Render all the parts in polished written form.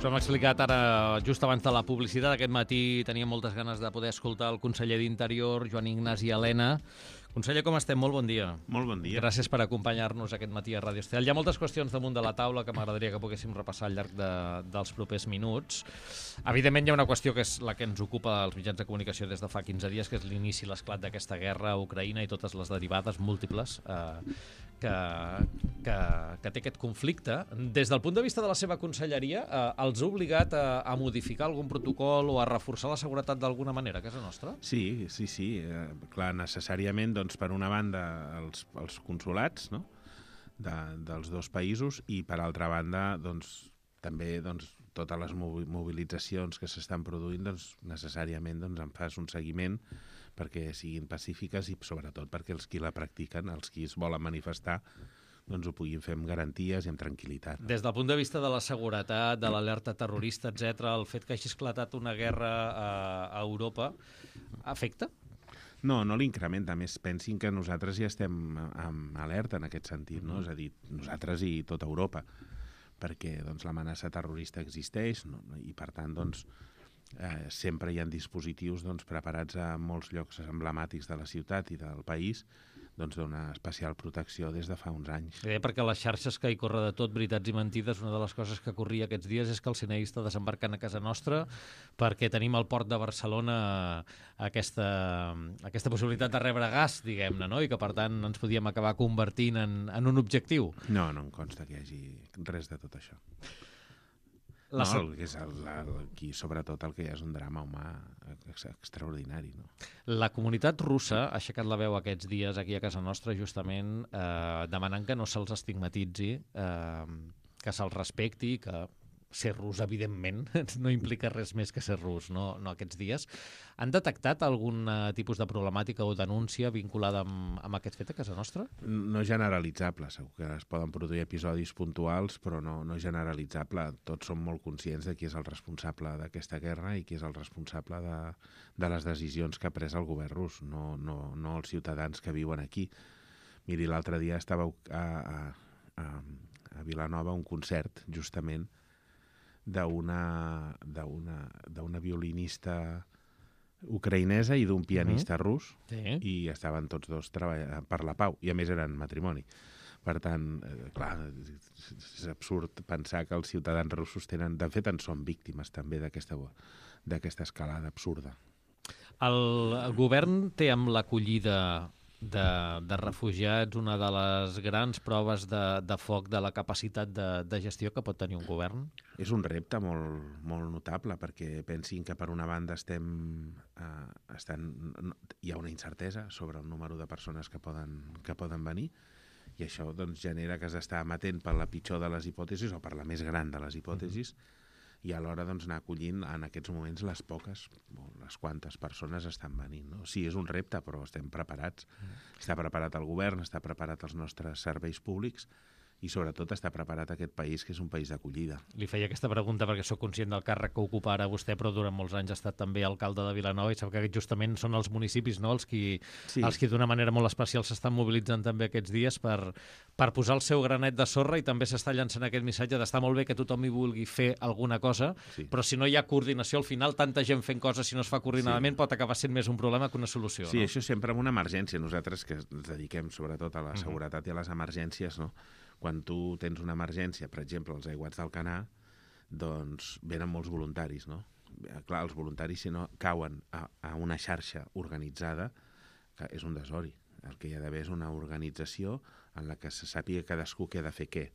Us hem explicat ara, just abans de la publicitat, aquest matí tenia moltes ganes de poder escoltar el conseller d'Interior, Joan Ignasi Elena. Conseller, com estem? Molt bon dia. Molt bon dia. Gràcies per acompanyar-nos aquest matí a Ràdio Estel. Hi ha moltes qüestions damunt de la taula que m'agradaria que poguéssim repassar al llarg dels propers minuts. Evidentment, hi ha una qüestió que és la que ens ocupa als mitjans de comunicació des de fa 15 dies, que és l'inici i l'esclat d'aquesta guerra a Ucraïna i totes les derivades múltiples que té aquest conflicte. Des del punt de vista de la seva conselleria, els ha obligat a modificar algun protocol o a reforçar la seguretat d'alguna manera a casa nostra? Sí. Clar, necessàriament, doncs, per una banda, els consolats, no?, dels dos països, i per altra banda, doncs, també totes les mobilitzacions que s'estan produint, doncs, necessàriament en fas un seguiment perquè siguin pacífiques i sobretot perquè els qui la practiquen, els qui es volen manifestar, doncs ho puguin fer amb garanties i amb tranquil·litat. Des del punt de vista de la seguretat, de l'alerta terrorista, etc., el fet que hagi esclatat una guerra a Europa afecta? No l'incrementa. A més, pensin que nosaltres ja estem en alerta en aquest sentit, no? És a dir, nosaltres i tota Europa, perquè l'amenaça terrorista existeix, no? I per tant, sempre hi ha dispositius preparats a molts llocs emblemàtics de la ciutat i del país d'una especial protecció des de fa uns anys. Perquè a les xarxes que hi corre de tot, veritats i mentides, una de les coses que corria aquests dies és que el CNI està desembarcant a casa nostra perquè tenim al port de Barcelona aquesta possibilitat de rebre gas, diguem-ne, no? I que per tant ens podíem acabar convertint en un objectiu. No em consta que hi hagi res de tot això. Aquí, sobretot, el que hi ha és un drama humà extraordinari. No? La comunitat russa ha aixecat la veu aquests dies aquí a casa nostra justament demanant que no se'ls estigmatitzi, que se'ls respecti, que ser rus, evidentment, no implica res més que ser rus, no aquests dies. Han detectat algun tipus de problemàtica o denúncia vinculada amb aquest fet a casa nostra? No generalitzable, segur que es poden produir episodis puntuals, però no generalitzable. Tots som molt conscients de qui és el responsable d'aquesta guerra i qui és el responsable de les decisions que ha pres el govern rus, no els ciutadans que viuen aquí. Miri, l'altre dia estava a Vilanova un concert, justament, d'una violinista ucraïnesa i d'un pianista rus, i estaven tots dos treballant per la pau, i a més eren matrimoni. Per tant, clar, és absurd pensar que els ciutadans russos tenen... De fet, en són víctimes també d'aquesta escalada absurda. El govern té amb l'acollida de refugiats una de les grans proves de foc de la capacitat de gestió que pot tenir un govern? És un repte molt notable, perquè pensin que per una banda hi ha una incertesa sobre el número de persones que poden venir, i això genera que has d'estar amatent per la pitjor de les hipòtesis o per la més gran de les hipòtesis, i alhora anar acollint en aquests moments les quantes persones estan venint. No? Sí, és un repte, però estem preparats. Està preparat el govern, està preparat els nostres serveis públics, i sobretot està preparat aquest país, que és un país d'acollida. Li feia aquesta pregunta perquè sóc conscient del càrrec que ocupa ara vostè, però durant molts anys ha estat també alcalde de Vilanova, i sap que justament són els municipis, no?, els qui d'una manera molt especial s'estan mobilitzant també aquests dies per posar el seu granet de sorra, i també s'està llançant aquest missatge d'estar molt bé que tothom hi vulgui fer alguna cosa, però si no hi ha coordinació, al final tanta gent fent coses, si no es fa coordinadament, pot acabar sent més un problema que una solució. Sí, no? Això sempre amb una emergència. Nosaltres, que ens dediquem sobretot a la seguretat i a les emergències, no? Quan tu tens una emergència, per exemple, als aiguats d'Alcanar, doncs venen molts voluntaris, no? Clar, els voluntaris, si no cauen a una xarxa organitzada, que és un desori. El que hi ha d'haver és una organització en la que se sàpiga cadascú què ha de fer què.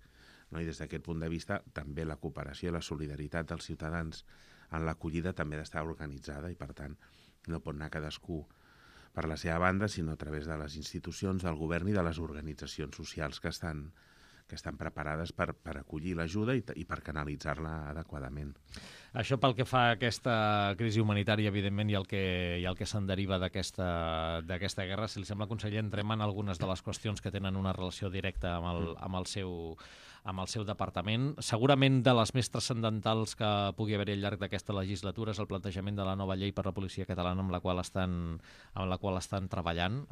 No? I des d'aquest punt de vista, també la cooperació i la solidaritat dels ciutadans en l'acollida també ha d'estar organitzada, i per tant no pot anar cadascú per la seva banda, sinó a través de les institucions, del govern i de les organitzacions socials que estan preparades per acollir l'ajuda i per canalitzar-la adequadament. Això pel que fa a aquesta crisi humanitària, evidentment, i el que se'n deriva d'aquesta guerra. Si li sembla, conseller, entrem en algunes de les qüestions que tenen una relació directa amb el seu departament. Segurament de les més transcendentals que pugui haver-hi al llarg d'aquesta legislatura és el plantejament de la nova llei per la policia catalana amb la qual estan treballant.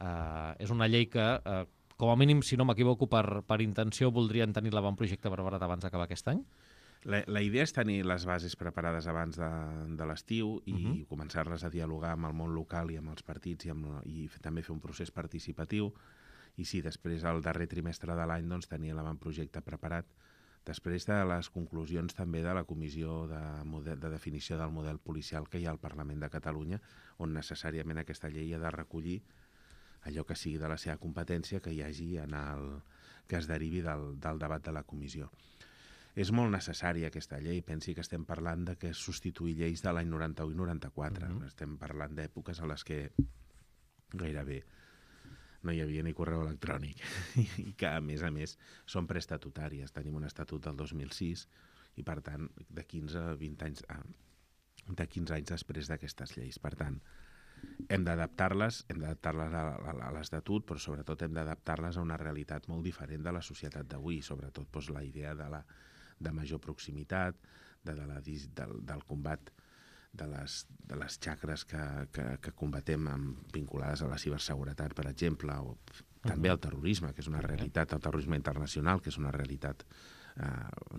És una llei que com a mínim, si no m'equivoco, per intenció voldrien tenir l'avantprojecte preparat abans d'acabar aquest any? La idea és tenir les bases preparades abans de l'estiu i començar-les a dialogar amb el món local i amb els partits i també fer un procés participatiu. I sí, després, al darrer trimestre de l'any, doncs, tenir l'avantprojecte preparat. Després de les conclusions també de la Comissió de Definició del Model Policial que hi ha al Parlament de Catalunya, on necessàriament aquesta llei ha de recollir allò que sigui de la seva competència que hi hagi que es derivi del debat de la comissió. És molt necessària aquesta llei. Pensi que estem parlant de que substituir lleis de l'any 91 i 94. Estem parlant d'èpoques a les que gairebé no hi havia ni correu electrònic i que, a més, són preestatutàries. Tenim un estatut del 2006 i, per tant, de 15 a 20 anys, de 15 anys després d'aquestes lleis. Per tant, hem d'adaptar-les a l'estatut, però sobretot hem d'adaptar-les a una realitat molt diferent de la societat d'avui, sobretot doncs, la idea de major proximitat, del combat de les xacres que combatem vinculades a la ciberseguretat, per exemple, o també al terrorisme, que és una realitat, el terrorisme internacional, que és una realitat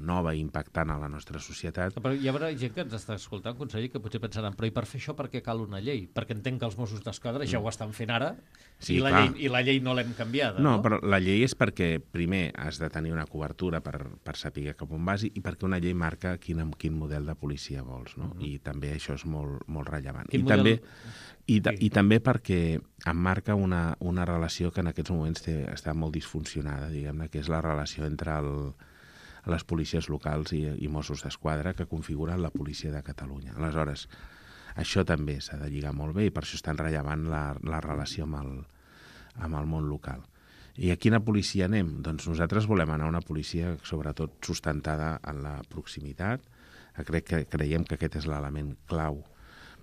nova i impactant a la nostra societat. Però hi haurà gent que ens està escoltant, conseller, que potser pensaran, però i per fer això per què cal una llei? Perquè entenc que els Mossos d'Esquadra ja ho estan fent ara i la llei no l'hem canviada. No, però la llei és perquè, primer, has de tenir una cobertura per saber cap on vas i perquè una llei marca quin model de policia vols, no? I també això és molt, molt rellevant. I també perquè em marca una relació que en aquests moments està molt disfuncionada, diguem-ne, que és la relació entre les policies locals i Mossos d'Esquadra que configuren la policia de Catalunya. Aleshores, això també s'ha de lligar molt bé i per això és tan rellevant la relació amb el món local. I a quina policia anem? Doncs nosaltres volem anar a una policia sobretot sustentada en la proximitat. Creiem que aquest és l'element clau,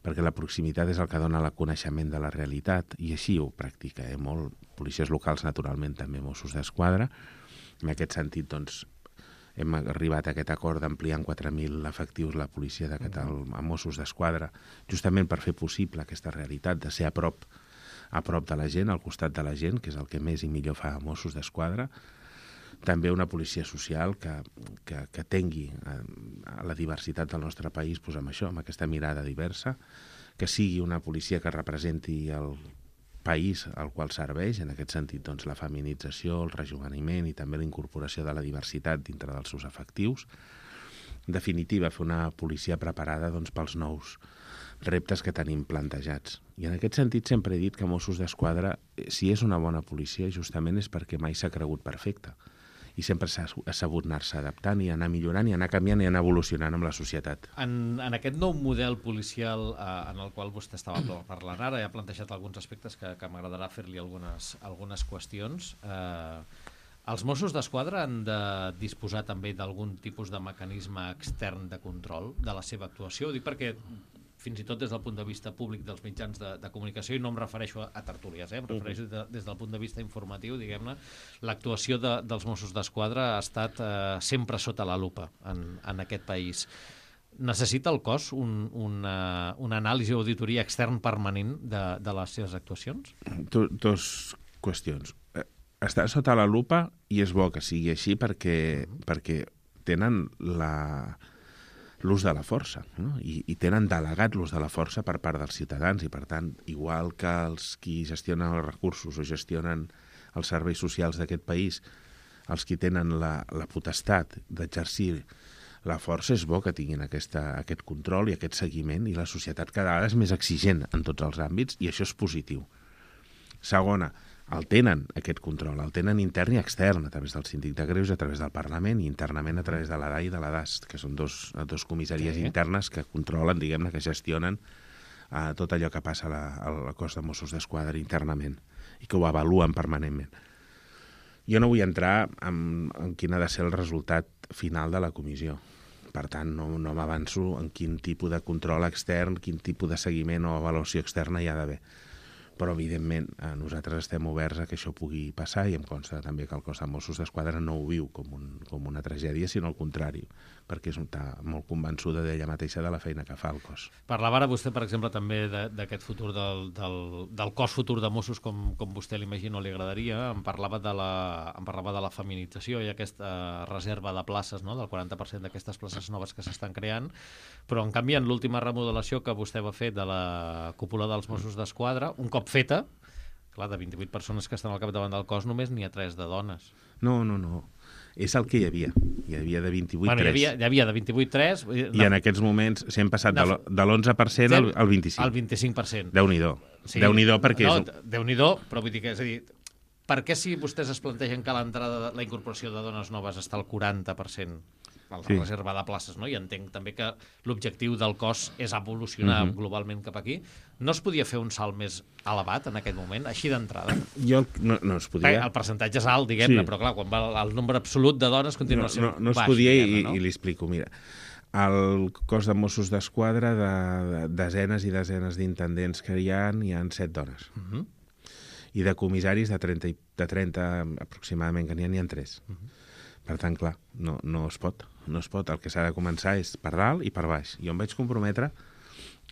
perquè la proximitat és el que dona el coneixement de la realitat i així ho practica molt. Policies locals, naturalment, també Mossos d'Esquadra. En aquest sentit, doncs, hem arribat a aquest acord d'ampliar en 4.000 efectius la policia de Catalunya a Mossos d'Esquadra, justament per fer possible aquesta realitat de ser a prop de la gent, al costat de la gent, que és el que més i millor fa Mossos d'Esquadra. També una policia social que tengui la diversitat del nostre país amb aquesta mirada diversa, que sigui una policia que representi el país al qual serveix, en aquest sentit doncs, la feminització, el rejoveniment i també la incorporació de la diversitat dintre dels seus efectius. En definitiva, fer una policia preparada doncs, pels nous reptes que tenim plantejats. I en aquest sentit sempre he dit que Mossos d'Esquadra, si és una bona policia, justament és perquè mai s'ha cregut perfecta. I sempre s'ha sabut anar-se adaptant i anar millorant i anar canviant i anar evolucionant amb la societat. En aquest nou model policial en el qual vostè estava parlant ara, ha plantejat alguns aspectes que m'agradarà fer-li algunes qüestions. Els Mossos d'Esquadra han de disposar també d'algun tipus de mecanisme extern de control de la seva actuació? Ho dic perquè fins i tot des del punt de vista públic dels mitjans de comunicació, i no em refereixo a tertúlies, em refereixo des del punt de vista informatiu, diguem-ne, l'actuació dels Mossos d'Esquadra ha estat sempre sota la lupa en aquest país. Necessita el cos una anàlisi o auditoria extern permanent de les seves actuacions? Dos qüestions. Està sota la lupa i és bo que sigui així perquè tenen l'ús de la força, no? I tenen delegat l'ús de la força per part dels ciutadans i, per tant, igual que els qui gestionen els recursos o gestionen els serveis socials d'aquest país, els qui tenen la potestat d'exercir la força, és bo que tinguin aquest control i aquest seguiment, i la societat cada vegada és més exigent en tots els àmbits i això és positiu. Segona, el tenen, aquest control, el tenen intern i extern, a través del Síndic de Greuges, a través del Parlament i internament a través de la DAI i de la DAS, que són dos comissaries internes que controlen, diguem-ne, que gestionen tot allò que passa al cos de Mossos d'Esquadra internament i que ho avaluen permanentment. Jo no vull entrar en quin ha de ser el resultat final de la comissió. Per tant, no m'avanço en quin tipus de control extern, quin tipus de seguiment o avaluació externa hi ha d'haver. Però, evidentment, nosaltres estem oberts a que això pugui passar i em consta també que el cos de Mossos d'Esquadra no ho viu com una tragèdia, sinó al contrari, perquè està molt convençuda d'ella mateixa de la feina que fa el cos. Parlava ara vostè, per exemple, també d'aquest futur del cos futur de Mossos com vostè l'imagina o li agradaria. Em parlava de la feminització i aquesta reserva de places, no? Del 40% d'aquestes places noves que s'estan creant, però en canvi en l'última remodelació que vostè va fer de la cúpula dels Mossos d'Esquadra, un cop feta, clar, de 28 persones que estan al capdavant del cos, només n'hi ha 3 de dones. No. És el que hi havia. Hi havia de 28, 3. Hi havia de 28, 3. I en aquests moments s'hem passat de l'11% al 25%. Al 25%. Déu-n'hi-do. Sí. Déu-n'hi-do perquè... Déu-n'hi-do, però vull dir que, és a dir, per què si vostès es plantegen que la incorporació de dones noves està al 40%? La reserva de places, no? I entenc també que l'objectiu del cos és evolucionar globalment cap aquí. No es podia fer un salt més elevat en aquest moment, així d'entrada? No es podia. El percentatge és alt, diguem-ne, però clar, quan va el nombre absolut de dones continua sent baix. No es podia i li explico. Mira, el cos de Mossos d'Esquadra, de desenes i desenes d'intendents que hi ha 7 dones. I de comissaris de 30 aproximadament, que n'hi ha 3. Per tant, clar, no es pot. No es pot. El que s'ha de començar és per dalt i per baix. Jo em vaig comprometre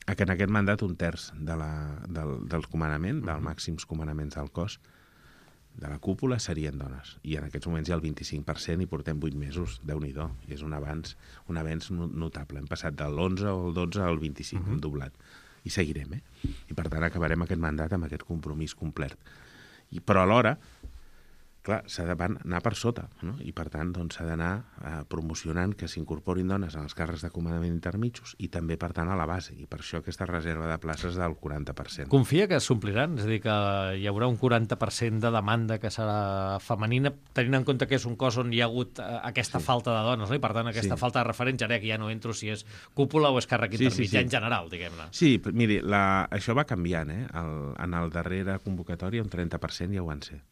a que en aquest mandat 1/3 del comandament, dels màxims comandaments del cos, de la cúpula, serien dones. I en aquests moments hi ha el 25% i portem 8 mesos. Déu-n'hi-do. I és un avenç notable. Hem passat de l'11 o el 12 al 25, hem doblat. I seguirem, I per tant acabarem aquest mandat amb aquest compromís complet. Però alhora, clar, s'ha d'anar per sota, no? I per tant s'ha d'anar promocionant que s'incorporin dones en els càrrecs de comandament intermitjos i també, per tant, a la base. I per això aquesta reserva de places del 40%. Confia que s'ompliran? És a dir, que hi haurà un 40% de demanda que serà femenina, tenint en compte que és un cos on hi ha hagut aquesta falta de dones, no? I per tant aquesta falta de referents, ara que ja no entro si és cúpula o és càrrec intermitjà en general, diguem-ne. Sí, miri, això va canviant, En el darrera convocatòria un 30% ja ho van ser.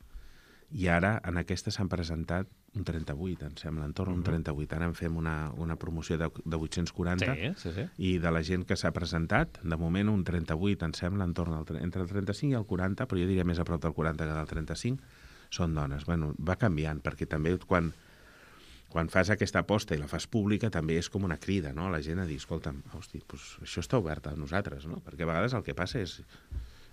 I ara en aquesta s'han presentat un 38, em sembla, entorn un 38. Ara en fem una promoció de 840 i de la gent que s'ha presentat, de moment un 38, em sembla, entorn entre el 35 i el 40, però jo diria més a prop del 40 que del 35, són dones. Bueno, va canviant, perquè també quan fas aquesta aposta i la fas pública també és com una crida, no? A la gent a dir, escolta'm, hosti, doncs això està obert a nosaltres, no? Perquè a vegades el que passa és...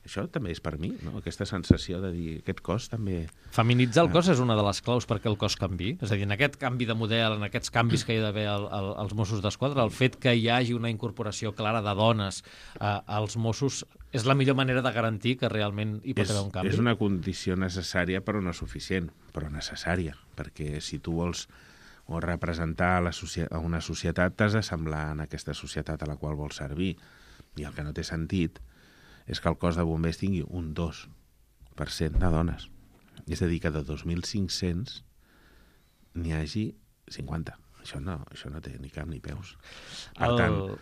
Això també és per mi, no? Aquesta sensació de dir, aquest cos també... Feminitzar el cos és una de les claus perquè el cos canvi. És a dir, en aquest canvi de model, en aquests canvis que hi ha d'haver als Mossos d'Esquadra, el fet que hi hagi una incorporació clara de dones als Mossos és la millor manera de garantir que realment hi pot haver un canvi? És una condició necessària, però no suficient, però necessària, perquè si tu vols representar a una societat, t'has de semblar en aquesta societat a la qual vols servir. I el que no té sentit és que el cos de bombers tingui un 2% de dones. És a dir, que de 2.500 n'hi hagi 50. Això no té ni cap ni peus. Per tant,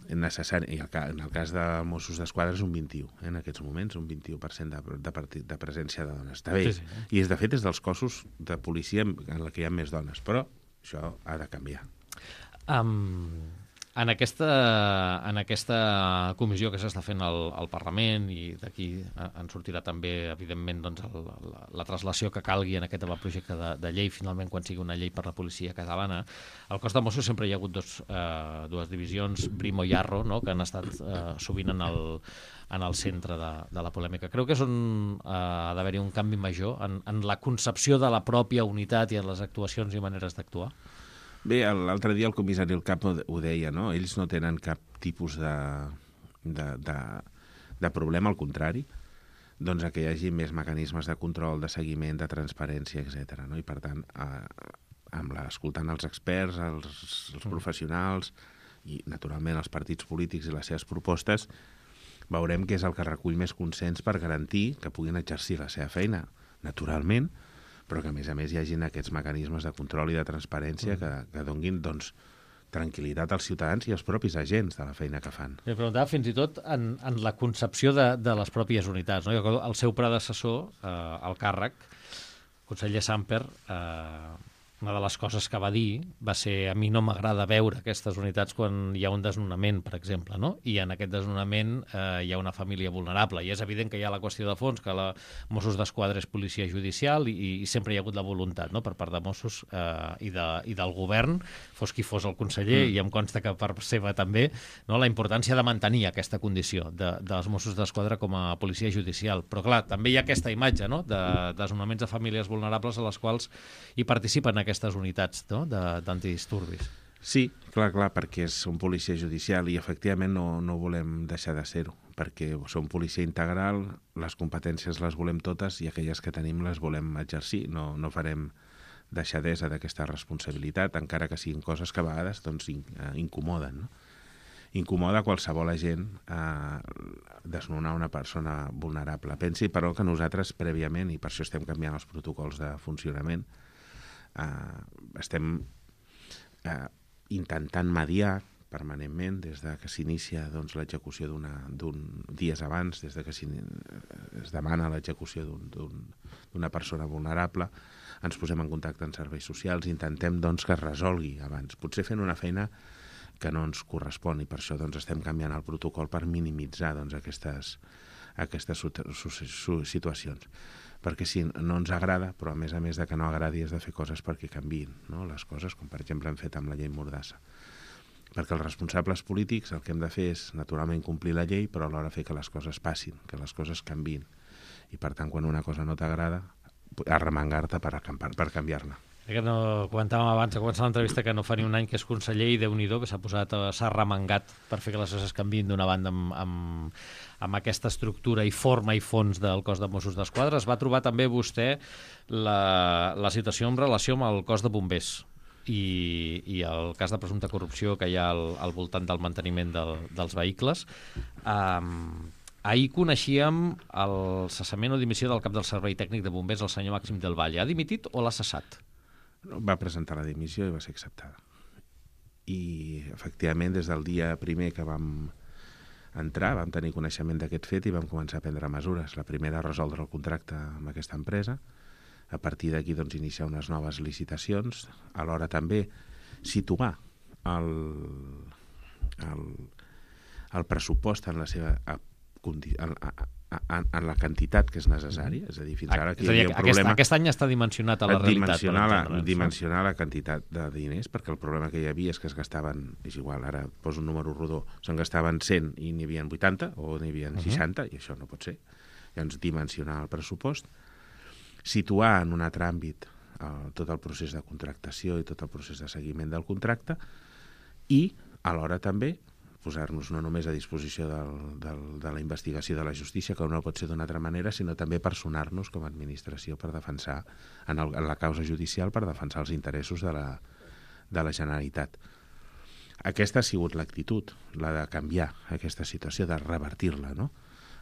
és necessari. I en el cas de Mossos d'Esquadra és un 21, en aquests moments, un 21% de presència de dones. Està bé. Sí. I de fet és dels cossos de policia en què hi ha més dones, però això ha de canviar. En aquesta comissió que s'està fent al Parlament, i d'aquí en sortirà també, evidentment, la translació que calgui en aquest avantprojecte de llei, finalment, quan sigui una llei per la policia catalana, al cos de Mossos sempre hi ha hagut dues divisions, Brimo i Arro, no?, que han estat sovint en el centre de la polèmica. Creu que és on ha d'haver-hi un canvi major en la concepció de la pròpia unitat i en les actuacions i maneres d'actuar? Bé, l'altre dia el comissari El Cap ho deia, no? Ells no tenen cap tipus de problema, al contrari, doncs que hi hagi més mecanismes de control, de seguiment, de transparència, etc. No? I per tant, escoltant els experts, els professionals i, naturalment, els partits polítics i les seves propostes, veurem què és el que recull més consens per garantir que puguin exercir la seva feina, naturalment, però que, a més hi hagin aquests mecanismes de control i de transparència que donguin, doncs, tranquil·litat als ciutadans i als propis agents de la feina que fan. Li preguntava fins i tot en la concepció de les pròpies unitats, no? El seu predecessor, el càrrec, conseller Samper, una de les coses que va dir va ser: a mi no m'agrada veure aquestes unitats quan hi ha un desnonament, per exemple, no? I en aquest desnonament hi ha una família vulnerable. I és evident que hi ha la qüestió de fons, que la Mossos d'Esquadra és policia judicial i sempre hi ha hagut la voluntat, no?, per part de Mossos i del govern, fos qui fos el conseller, i em consta que per seva també, no?, la importància de mantenir aquesta condició dels Mossos d'Esquadra com a policia judicial. Però, clar, també hi ha aquesta imatge, no?, de desnonaments de famílies vulnerables a les quals hi participen aquestes unitats, no?, d'antidisturbis. Sí, clar, perquè som policia judicial i efectivament no volem deixar de ser-ho, perquè som policia integral, les competències les volem totes i aquelles que tenim les volem exercir. No farem deixadesa d'aquesta responsabilitat, encara que siguin coses que a vegades doncs, incomoden, no? Incomoda qualsevol agent desnonar una persona vulnerable. Pensi, però, que nosaltres prèviament, i per això estem canviant els protocols de funcionament, estem intentant mediar permanentment des de que s'inicia doncs, l'execució dies abans, des de que es demana l'execució d'una persona vulnerable, ens posem en contacte amb serveis socials i intentem doncs, que es resolgui abans, potser fent una feina que no ens correspon, i per això doncs, estem canviant el protocol per minimitzar doncs, aquestes situacions. Perquè si no ens agrada, però a més de que no agradi és de fer coses perquè canviïn, no?, les coses, com per exemple hem fet amb la llei Mordassa. Perquè els responsables polítics el que hem de fer és naturalment complir la llei, però alhora fer que les coses passin, que les coses canviïn. I per tant, quan una cosa no t'agrada, arremangar-te per canviar-la. Que no comentàvem abans de començar l'entrevista que no fa ni un any que és conseller i Déu-n'hi-do que s'ha remengat per fer que les coses canviïn d'una banda amb aquesta estructura i forma i fons del cos de Mossos d'Esquadra. Es va trobar també vostè la situació en relació amb el cos de bombers i el cas de presumpta corrupció que hi ha al voltant del manteniment dels vehicles. Ahir coneixíem el cessament o dimissió del cap del servei tècnic de bombers, el senyor Màxim del Valle. Ha dimitit o l'ha cessat? Va presentar la dimissió i va ser acceptada. I, efectivament, des del dia primer que vam entrar, vam tenir coneixement d'aquest fet i vam començar a prendre mesures. La primera, resoldre el contracte amb aquesta empresa. A partir d'aquí, doncs, iniciar unes noves licitacions. Alhora també situar el pressupost en la seva en la quantitat que és necessària, és a dir, fins ara aquí hi havia un problema... Aquest any està dimensionat a la realitat. Dimensionar la quantitat de diners, perquè el problema que hi havia és que es gastaven, és igual, ara poso un número rodó, se'n gastaven 100 i n'hi havia 80 o n'hi havia 60, i això no pot ser. Llavors, dimensionar el pressupost, situar en un altre àmbit tot el procés de contractació i tot el procés de seguiment del contracte i, alhora també, posar-nos no només a disposició de la investigació de la justícia, que no pot ser d'una altra manera, sinó també personar-nos com a administració per defensar, en la causa judicial, per defensar els interessos de la Generalitat. Aquesta ha sigut l'actitud, la de canviar aquesta situació, de revertir-la, no?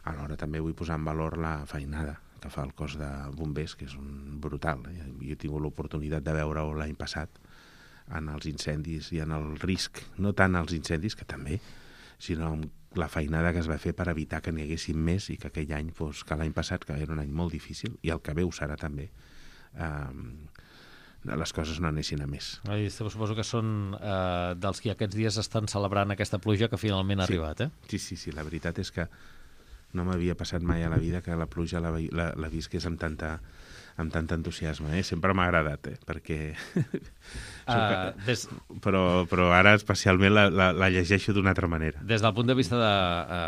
Alhora també vull posar en valor la feinada que fa el cos de bombers, que és brutal. Jo he tingut l'oportunitat de veure-ho l'any passat, en els incendis i en el risc, no tant als incendis, que també, sinó la feinada que es va fer per evitar que n'hi haguessin més i que aquell any, que l'any passat, que era un any molt difícil, i el que ve ho serà també, les coses no anessin a més. Suposo que són dels que aquests dies estan celebrant aquesta pluja que finalment ha arribat, eh? Sí, la veritat és que no m'havia passat mai a la vida que la pluja la visqués amb tant entusiasme, sempre m'ha agradat, perquè... però ara especialment la llegeixo d'una altra manera. Des del punt de vista de...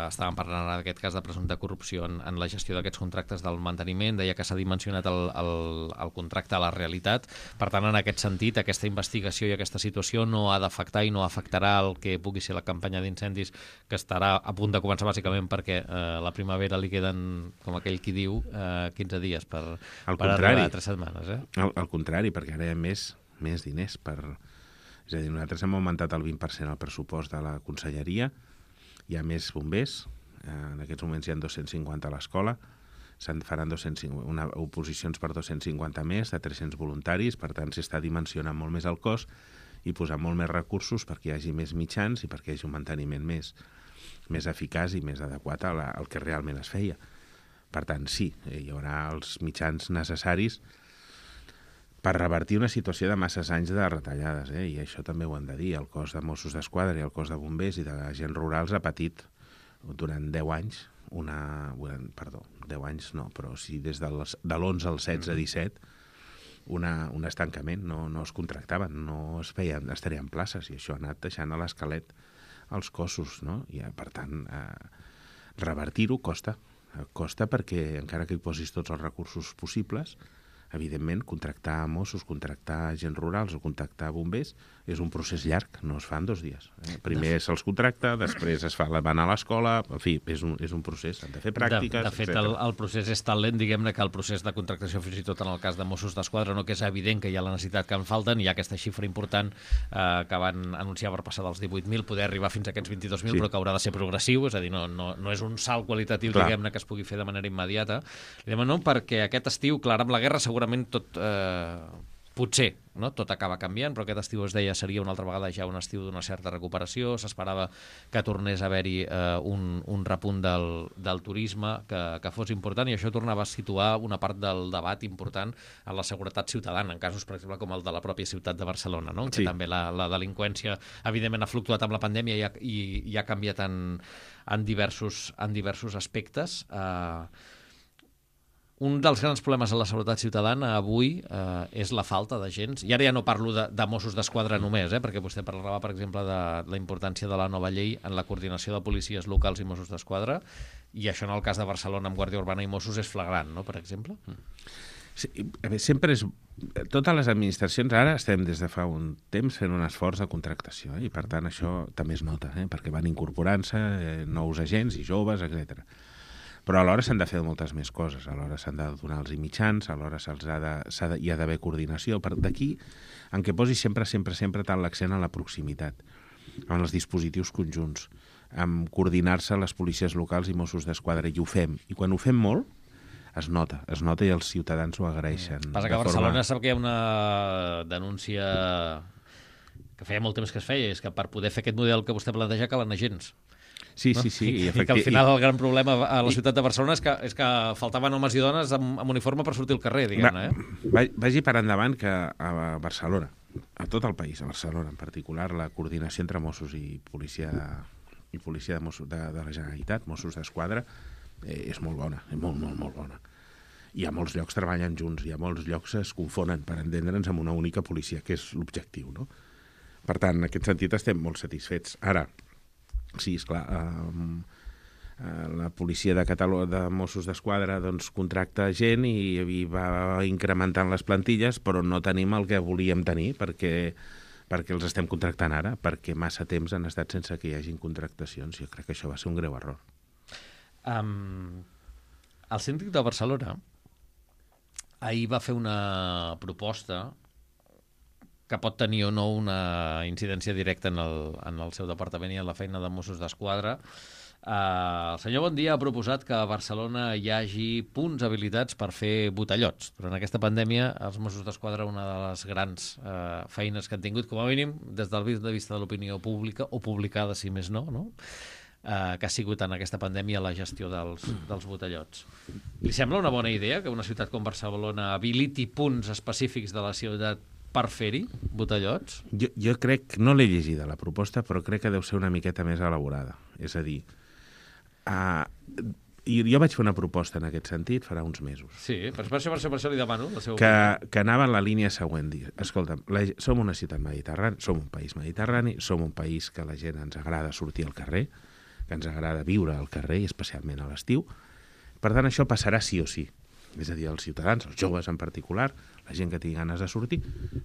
estàvem parlant ara d'aquest cas de presumpta corrupció en la gestió d'aquests contractes del manteniment, deia que s'ha dimensionat el contracte a la realitat, per tant, en aquest sentit, aquesta investigació i aquesta situació no ha d'afectar i no afectarà el que pugui ser la campanya d'incendis, que estarà a punt de començar bàsicament perquè la primavera li queden, com aquell qui diu, 15 dies per arribar a 3 setmanes. Al contrari, perquè ara hi ha més diners És a dir, nosaltres hem augmentat el 20% el pressupost de la conselleria, hi ha més bombers, en aquests moments hi ha 250 a l'escola, se'n faran oposicions per 250 més, de 300 voluntaris, per tant s'està dimensionant molt més el cos i posar molt més recursos perquè hi hagi més mitjans i perquè hi hagi un manteniment més eficaç i més adequat al que realment es feia. Per tant, sí, hi haurà els mitjans necessaris per revertir una situació de masses anys de retallades, i això també ho hem de dir. El cos de Mossos d'Esquadra i el cos de bombers i de agents rurals ha patit durant 10 anys, 10 anys no, però sí des de l'11 al 16-17, un estancament, no es contractaven, no es tarien places, i això ha anat deixant a l'esquelet els cossos, no? I, per tant, revertir-ho costa perquè encara que hi posis tots els recursos possibles, evidentment, contractar Mossos, contractar agents rurals o contractar bombers és un procés llarg, no es fa en 2 dies. Primer se'ls contracta, després van a l'escola, en fi, és un procés, han de fer pràctiques, De fet, el procés és tan lent, diguem-ne, que el procés de contractació, fins i tot en el cas de Mossos d'Esquadra, no, que és evident que hi ha la necessitat que en falten, hi ha aquesta xifra important que van anunciar per passar dels 18.000, poder arribar fins a aquests 22.000, però que haurà de ser progressiu, és a dir, no és un salt qualitatiu, diguem-ne, que es pugui fer de manera immediata. No, perquè aquest estiu, clar, amb la guerra segurament tot, potser, no? Tot acaba canviant, però aquest estiu es deia seria una altra vegada ja un estiu d'una certa recuperació, s'esperava que tornés a haver-hi un repunt del turisme que fos important, i això tornava a situar una part del debat important en la seguretat ciutadana, en casos, per exemple, com el de la pròpia ciutat de Barcelona, no? En què també la delinqüència, evidentment, ha fluctuat amb la pandèmia i ha canviat en diversos aspectes. Un dels grans problemes a la seguretat ciutadana avui és la falta d'agents. I ara ja no parlo de Mossos d'Esquadra només, perquè vostè parlava, per exemple, de la importància de la nova llei en la coordinació de policies locals i Mossos d'Esquadra, i això en el cas de Barcelona amb Guàrdia Urbana i Mossos és flagrant, no?, per exemple. Sí, sempre és... Totes les administracions ara estem des de fa un temps fent un esforç de contractació, i per tant això també es nota, perquè van incorporant-se nous agents i joves, etc. Però alhora s'han de fer moltes més coses, alhora s'han de donar els mitjans, alhora hi ha d'haver coordinació. D'aquí en què posi sempre tant l'accent en la proximitat, en els dispositius conjunts, en coordinar-se les policies locals i Mossos d'Esquadra, i ho fem. I quan ho fem molt, es nota i els ciutadans ho agraeixen. Passa que a Barcelona sap que hi ha una denúncia que feia molt temps que es feia, és que per poder fer aquest model que vostè planteja calen agents. Sí. I que al final el gran problema a la ciutat de Barcelona és que faltaven homes i dones amb uniforme per sortir al carrer, diguem-ne. Vagi per endavant que a Barcelona, a tot el país, a Barcelona en particular, la coordinació entre Mossos i policia de Mossos de la Generalitat, Mossos d'Esquadra, és molt bona, és molt bona. I a molts llocs treballen junts, i a molts llocs es confonen per entendre'ns amb una única policia, que és l'objectiu, no? Per tant, en aquest sentit estem molt satisfets. Ara, sí, esclar, la policia de Mossos d'Esquadra contracta gent i va incrementant les plantilles, però no tenim el que volíem tenir perquè els estem contractant ara, perquè massa temps han estat sense que hi hagin contractacions. Jo crec que això va ser un greu error. El síndic de Barcelona ahir va fer una proposta que pot tenir o no una incidència directa en el seu departament i en la feina de Mossos d'Esquadra. El senyor Bondia ha proposat que a Barcelona hi hagi punts habilitats per fer botellots. Durant aquesta pandèmia, els Mossos d'Esquadra, una de les grans feines que han tingut, com a mínim, des del punt de vista de l'opinió pública, o publicada, si més no, que ha sigut en aquesta pandèmia la gestió dels botellots. Li sembla una bona idea que una ciutat com Barcelona habiliti punts específics de la ciutat per fer-hi botellots? Jo crec, no l'he llegida la proposta, però crec que deu ser una miqueta més elaborada. És a dir, jo vaig fer una proposta en aquest sentit farà uns mesos. Sí, per això li demano la seva opinió. Que anava en la línia següent. Escolta'm, som una ciutat mediterrània, som un país mediterrani, som un país que la gent ens agrada sortir al carrer, que ens agrada viure al carrer, especialment a l'estiu. Per tant, això passarà sí o sí. És a dir, els ciutadans, els joves en particular, la gent que tingui ganes de sortir,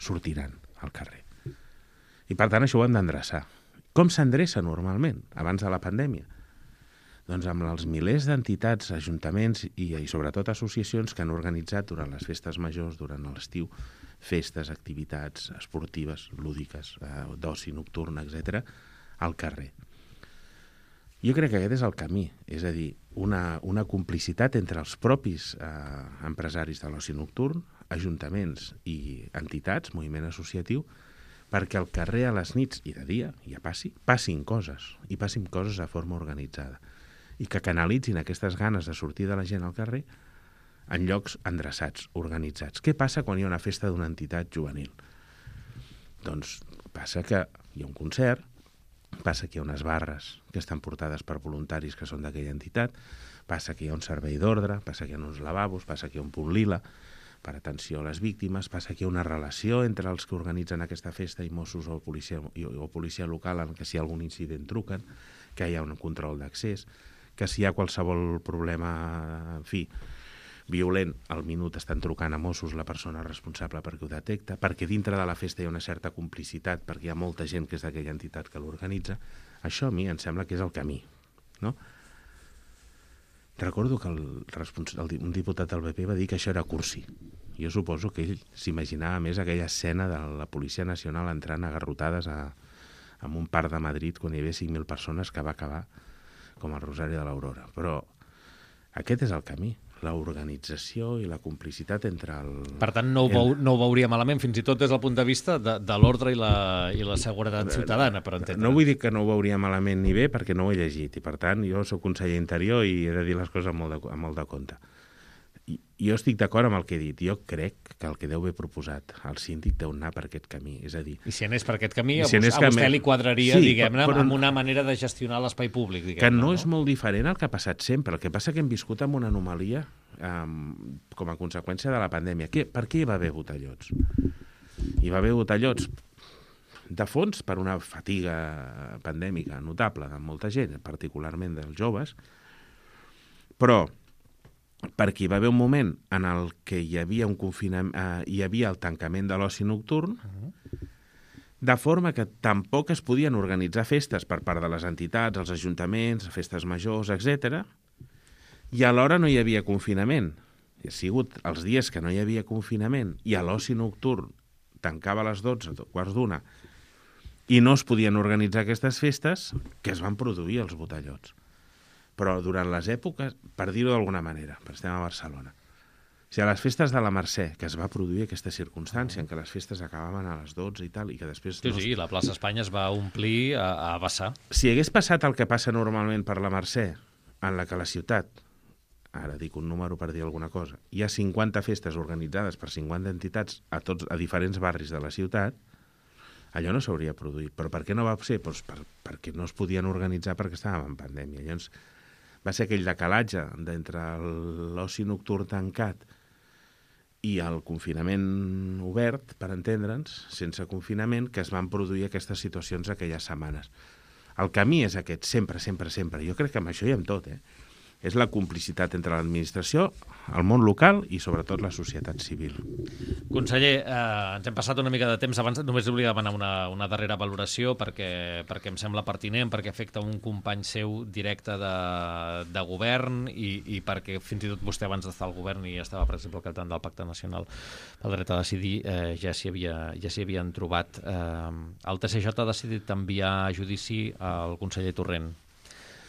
sortiran al carrer. I per tant, això ho hem d'endreçar. Com s'endreça normalment, abans de la pandèmia? Doncs amb els milers d'entitats, ajuntaments i sobretot associacions que han organitzat durant les festes majors, durant l'estiu, festes, activitats esportives, lúdiques, d'oci nocturn, etc., al carrer. Jo crec que aquest és el camí, és a dir, una complicitat entre els propis empresaris de l'oci nocturn, ajuntaments i entitats, moviment associatiu, perquè al carrer a les nits i de dia ja passin coses, i passin coses de forma organitzada, i que canalitzin aquestes ganes de sortir de la gent al carrer en llocs endreçats, organitzats. Què passa quan hi ha una festa d'una entitat juvenil? Doncs passa que hi ha un concert, passa que hi ha unes barres que estan portades per voluntaris que són d'aquella entitat, passa que hi ha un servei d'ordre, passa que hi ha uns lavabos, passa que hi ha un punt lila per atenció a les víctimes, passa que hi ha una relació entre els que organitzen aquesta festa i Mossos o policia local en què si hi ha algun incident truquen, que hi ha un control d'accés, que si hi ha qualsevol problema, en fi, violent, al minut estan trucant a Mossos la persona responsable perquè ho detecta, perquè dintre de la festa hi ha una certa complicitat, perquè hi ha molta gent que és d'aquella entitat que l'organitza. Això a mi em sembla que és el camí, no? Recordo que un diputat del PP va dir que això era cursi. Jo suposo que ell s'imaginava més aquella escena de la Policia Nacional entrant agarrotades en un parc de Madrid quan hi havia 5.000 persones que va acabar com el Rosari de l'Aurora. Però aquest és el camí, l'organització i la complicitat entre el... Per tant, no ho veuria malament, fins i tot des del punt de vista de l'ordre i la seguretat ciutadana, per entendre. No vull dir que no ho veuria malament ni bé, perquè no ho he llegit, i per tant jo soc conseller Interior i he de dir les coses amb molt de compte. Jo estic d'acord amb el que he dit. Jo crec que el que deu haver proposat el síndic deu anar per aquest camí. És a dir... I si anés per aquest camí, a vostè li quadraria, sí, diguem-ne, amb una manera de gestionar l'espai públic, diguem-ne. Que no és molt diferent al que ha passat sempre. El que passa que hem viscut amb una anomalia com a conseqüència de la pandèmia. Per què hi va haver botellots? Hi va haver botellots de fons per una fatiga pandèmica notable de molta gent, particularment dels joves, però perquè hi va haver un moment en el que hi havia un confinament, hi havia el tancament de l'oci nocturn, de forma que tampoc es podien organitzar festes per part de les entitats, els ajuntaments, festes majors, etc. I alhora no hi havia confinament. Ha sigut els dies que no hi havia confinament i a l'oci nocturn tancava a les 12, quarts d'una, i no es podien organitzar aquestes festes, que es van produir els botellots. Però durant les èpoques, per dir-ho d'alguna manera, perquè estem a Barcelona, o sigui, a les festes de la Mercè, que es va produir aquesta circumstància en què les festes acabaven a les 12 i tal, i que després... Sí, la plaça Espanya es va omplir a vessar. Si hagués passat el que passa normalment per la Mercè, en la que la ciutat, ara dic un número per dir alguna cosa, hi ha 50 festes organitzades per 50 entitats a diferents barris de la ciutat, allò no s'hauria produït. Però per què no va ser? Doncs perquè no es podien organitzar perquè estàvem en pandèmia. Llavors, va ser aquell decalatge d'entre l'oci nocturn tancat i el confinament obert, per entendre'ns, sense confinament, que es van produir aquestes situacions aquelles setmanes. El camí és aquest, sempre, sempre, sempre. Jo crec que amb això i amb tot, és la complicitat entre l'administració, el món local i, sobretot, la societat civil. Conseller, ens hem passat una mica de temps. Abans només volia demanar una darrera valoració perquè em sembla pertinent, perquè afecta un company seu directe de govern i perquè fins i tot vostè abans d'estar al govern i estava, per exemple, al capdavant del Pacte Nacional pel Dret a Decidir, ja s'hi havien trobat. El TSJ ha decidit enviar a judici al conseller Torrent,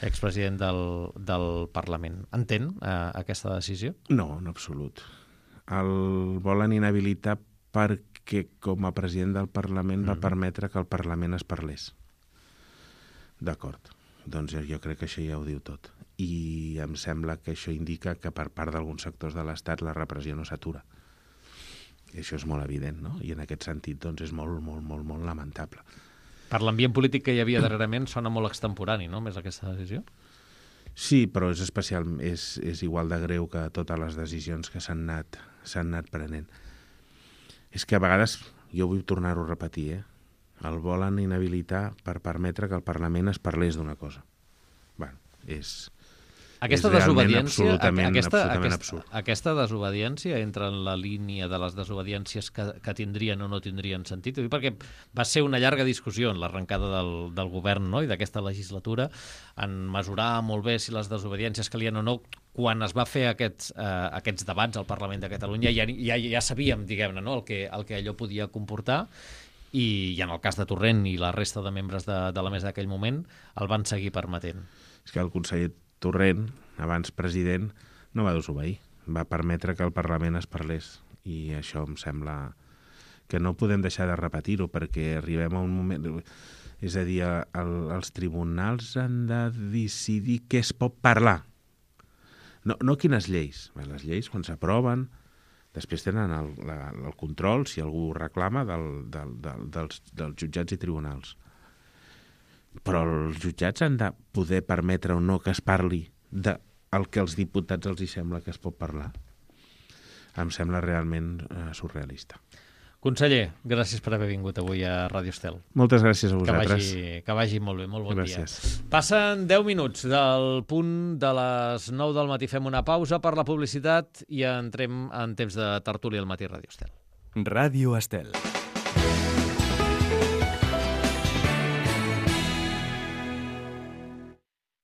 expresident del Parlament. Entén aquesta decisió? No, en absolut. El volen inhabilitar perquè, com a president del Parlament, va permetre que el Parlament es parlés. D'acord. Doncs jo crec que això ja ho diu tot. I em sembla que això indica que per part d'alguns sectors de l'Estat la repressió no s'atura. I això és molt evident, no? I en aquest sentit, doncs, és molt, molt, molt, molt lamentable. Per l'ambient polític que hi havia darrerament sona molt extemporani, no?, més aquesta decisió? Sí, però és igual de greu que totes les decisions que s'han anat prenent. És que a vegades, jo vull tornar-ho a repetir, el volen inhabilitar per permetre que el Parlament es parlés d'una cosa. Bueno, és desobediència, absolutament absurd. Aquesta desobediència entra en la línia de les desobediències que tindrien o no tindrien sentit, perquè va ser una llarga discussió en l'arrencada del govern, no?, i d'aquesta legislatura, en mesurar molt bé si les desobediències calien o no. Quan es va fer aquests debats al Parlament de Catalunya ja sabíem, diguem-ne, no?, el que allò podia comportar, i en el cas de Torrent i la resta de membres de la mesa d'aquell moment el van seguir permetent. És que el conseller Torrent, abans president, no va desobeir. Va permetre que el Parlament es parlés. I això em sembla que no podem deixar de repetir-ho, perquè arribem a un moment... És a dir, els tribunals han de decidir què es pot parlar. No quines lleis. Les lleis, quan s'aproven, després tenen el control, si algú ho reclama, dels jutjats i tribunals. Però els jutjats han de poder permetre o no que es parli del que als diputats els hi sembla que es pot parlar. Em sembla realment surrealista. Conseller, gràcies per haver vingut avui a Ràdio Estel. Moltes gràcies a vosaltres. Que vagi molt bé, molt bon gràcies. dia. Passen 10 minuts del punt de les 9 del matí. Fem una pausa per la publicitat i entrem en temps de tertúlia al matí Ràdio Estel. Ràdio Estel.